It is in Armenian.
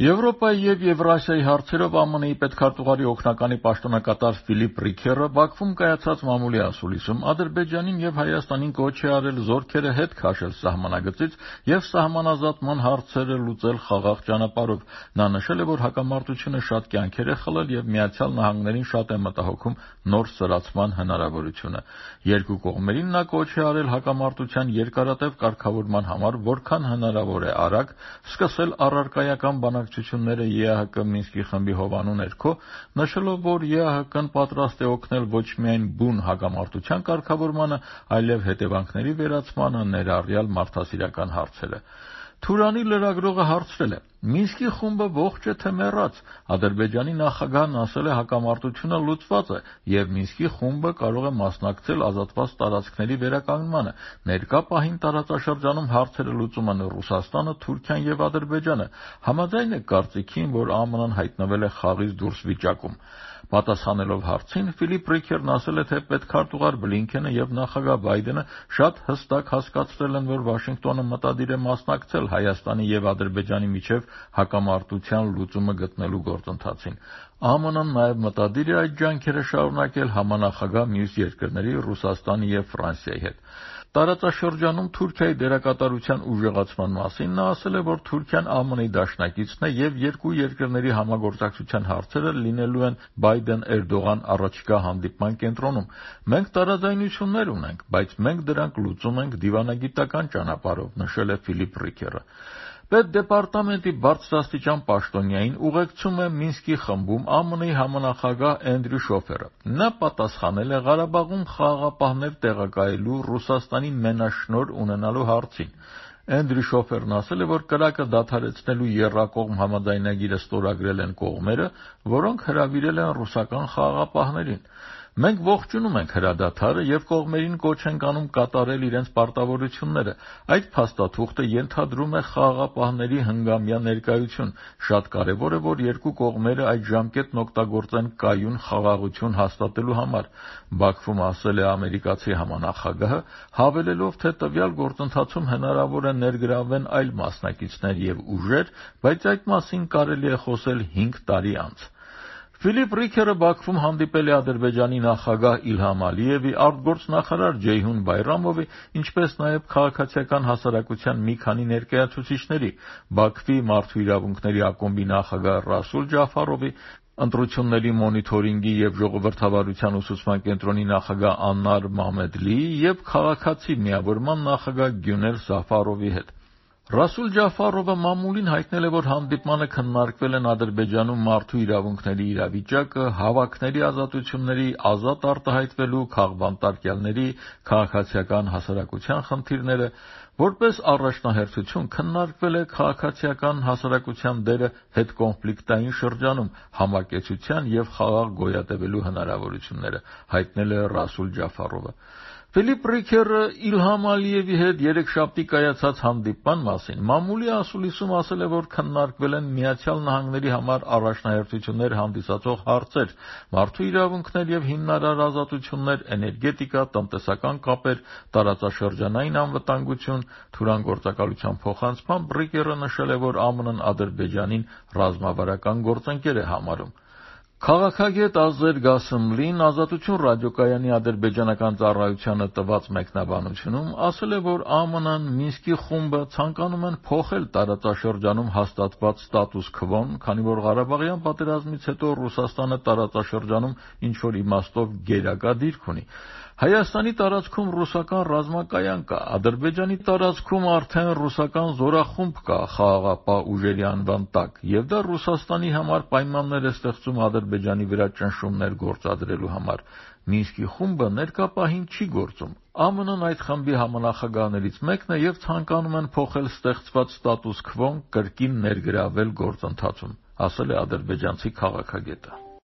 Եվրոպայի և Եվրասիայի հարցերով ԱՄՆ-ի պետքարտուղարի օգնականի պաշտոնակատար Ֆիլիպ Ռիքերը Բաքվում կայացած մամուլի ասուլիսում Ադրբեջանին և Հայաստանին կոչ է արել զորքերը հետ քաշել սահմանագծից և սահմանազատման հարցերը լուծել խաղաղ ճանապարհով։ Նա նշել է, որ հակամարտությունը շատ կյանքեր է խլել և Միացյալ Նահանգներին շատ է մտահոգում նոր սրացման հնարավորությունը։ Երկու կողմերին նա կոչ է արել հակամարտության երկարատև կարգավորման համար որքան հնարավոր է արագ սկսել առարկայական բանակցությունները ԵԱՀԿ Մինսկի խմբի հովանու ներքո, նշելով, որ ԵԱՀԿ-ն պատրաստ է օգնել ոչ միայն բուն հակամարտության կարգավորմանը, այլև հետևանքների վերացմանը, ներառյալ մարդասիրական հարցերը։ Թուրանի լրագրողը հարցրել է. «Մինսկի խումբը ողջ է թե մեռած»։ Ադրբեջանի նախագահն ասել է հակամարտությունը լուծված է և Մինսկի խումբը կարող է մասնակցել ազատված տարածքների վերականգնմանը։ Ներկա պահին տարածաշրջանում հարցերը լուծում են Ռուսաստանը, Թուրքիան և Ադրբեջանը։ Համաձայն եք կարծիքին, որ ԱՄՆ-ն հայտնվել է խաղից դուրս վիճակում։ Պատասխանելով հարցին, Ֆիլիպ Ռիքերն ասել է, թե պետքարտուղար Բլինքենը և նախագահ Բայդենը շատ հստակ հասկացրել են, որ Վաշինգտոնը մտադիր է մասնակցել Հայաստանի և Ադրբեջանի միջև հակամարտության լուծումը գտնելու գործընթացին։ ԱՄՆ-ն նաև մտադիր է այդ ջանքերը շարունակել համանախագահ մյուս երկրների Ռուսաստանի և Ֆրանսիայի հետ։ Տարածաշրջանում Թուրքիայի դերակատարության ուժեղացման մասին նա ասել է, որ Թուրքիան ԱՄՆ-ի դաշնակիցն է և երկու երկրների համագործակցության հարցերը լինելու են Բայդեն-Էրդողան առաջիկա հանդիպման կենտրոնում։ Մենք տարաձայնություններ ունենք, բայց մենք դրանք լուծում ենք դիվանագիտական ճանապարհով, նշել է Ֆիլիպ Ռիքերը։ Պետդեպարտամենտի բարձրաստիճան պաշտոնյային ուղեկցում է Մինսկի խմբում ԱՄՆ-ի համանախագահ Էնդրյու Շոֆերը։ Նա պատասխանել է Ղարաբաղում խաղաղապահներ տեղակայելու Ռուսաստանի մենաշնորհ ունենալու հարցին։ Էնդրյու Շոֆերն ասել է, որ կրակը դադարեցնելու եռակողմ համաձայնագիրը ստորագրել են կողմերը, որոնք հրավիրել են ռուսական խաղաղապահներին։ Մենք ողջունում ենք հրադադարը և կողմերին կոչ ենք անում կատարել իրենց պարտավորությունները։ Այդ փաստաթուղթը ենթադրում է խաղաղապահների հնգամյա ներկայություն։ Շատ կարևոր է, որ երկու կողմերը այդ ժամկետն օգտագործեն կայուն խաղաղություն հաստատելու համար, Բաքվում ասել է ամերիկացի համանախագահը, հավելելով, թե տվյալ գործընթացում հնարավոր է ներգրավվեն այլ մասնակիցներ և ուժեր, բայց այդ մասին կարելի է խոսել 5 տարի անց։ Ֆիլիպ Ռիքերը Բաքվում հանդիպել է Ադրբեջանի նախագահ Իլհամ Ալիևի, արտգործնախարար Ջեյհուն Բայրամովի, ինչպես նաև քաղաքացիական հասարակության մի քանի ներկայացուցիչների՝ Բաքվի Մարդու իրավունքների ակումբի նախագահ Ռասուլ Ջաֆարովի, ընտրությունների մոնիթորինգի և ժողովրդավարության ուսուցման կենտրոնի նախագահ Աննար Մամեդլիի և քաղաքացի միավորման նախագահ Գյունել Զաֆարովի հետ։ Ռասուլ Ջաֆարովը մամուլին հայտնել է, որ հանդիպմանը քննարկվել են Ադրբեջանում մարդու իրավունքների իրավիճակը, հավաքների ազատությունների, ազատ արտահայտվելու, քաղբանտարկյալների, քաղաքացիական հասարակության խնդիրները։ Որպես առաջնահերթություն քննարկվել է քաղաքացիական հասարակության դերը հետկոնֆլիկտային շրջանում, համակեցության և խաղաղ գոյատևելու հնարավորությունները, հայտնել է Ռասուլ Ջաֆարովը։ Ֆիլիպ Ռիքերը Իլհամ Ալիևի հետ երեքշաբթի կայացած հանդիպման մասին մամուլի ասուլիսում ասել է, որ քննարկվել են Միացյալ Նահանգների համար առաջնահերթություններ հանդիսացող հարցեր՝ մարդու իրավունքներ և հիմնարար ազատություններ, էներգետիկա, տնտեսական կապեր, տարածաշրջանային անվտանգություն։ Թուրանգործակալության փոխանցմամբ Ռիքերը նշել է, որ ԱՄՆ-ն Ադրբեջանին ռազմավարական գործընկեր է համարում։ Քաղաքագետ Ազեր Գասեմլին Ազատություն ռադիոկայանի ադրբեջանական ծառայությանը տված մեկնաբանությունում ասել է, որ ԱՄՆ-ն, Մինսկի խումբը ցանկանում են փոխել տարածաշրջանում հաստատված ստատուս քվոն, քանի որ Ղարաբաղյան պատերազմից հետո Ռուսաստանը տարածաշրջանում ինչ-որ իմաստով գերակա դիրք ունի։ Հայաստանի տարածքում ռուսական ռազմակայան կա, Ադրբեջանի տարածքում արդեն ռուսական զորախումբ կա խաղաղապահ ուժերի անվան տակ, և դա Ռուսաստանի համար պայմաններ է ստեղծում Ադրբեջանի վրա ճնշումներ գործադրելու համար։ Մինսկի խումբը ներկա պահին չի գործում։ ԱՄՆ-ն այդ խմբի համանախագահներից մեկն է և ցանկանում են փոխել ստեղծված ստատուս քվոն, կրկին ներգրավվել գործընթացում, ասել է ադրբեջանցի քաղաքագետը։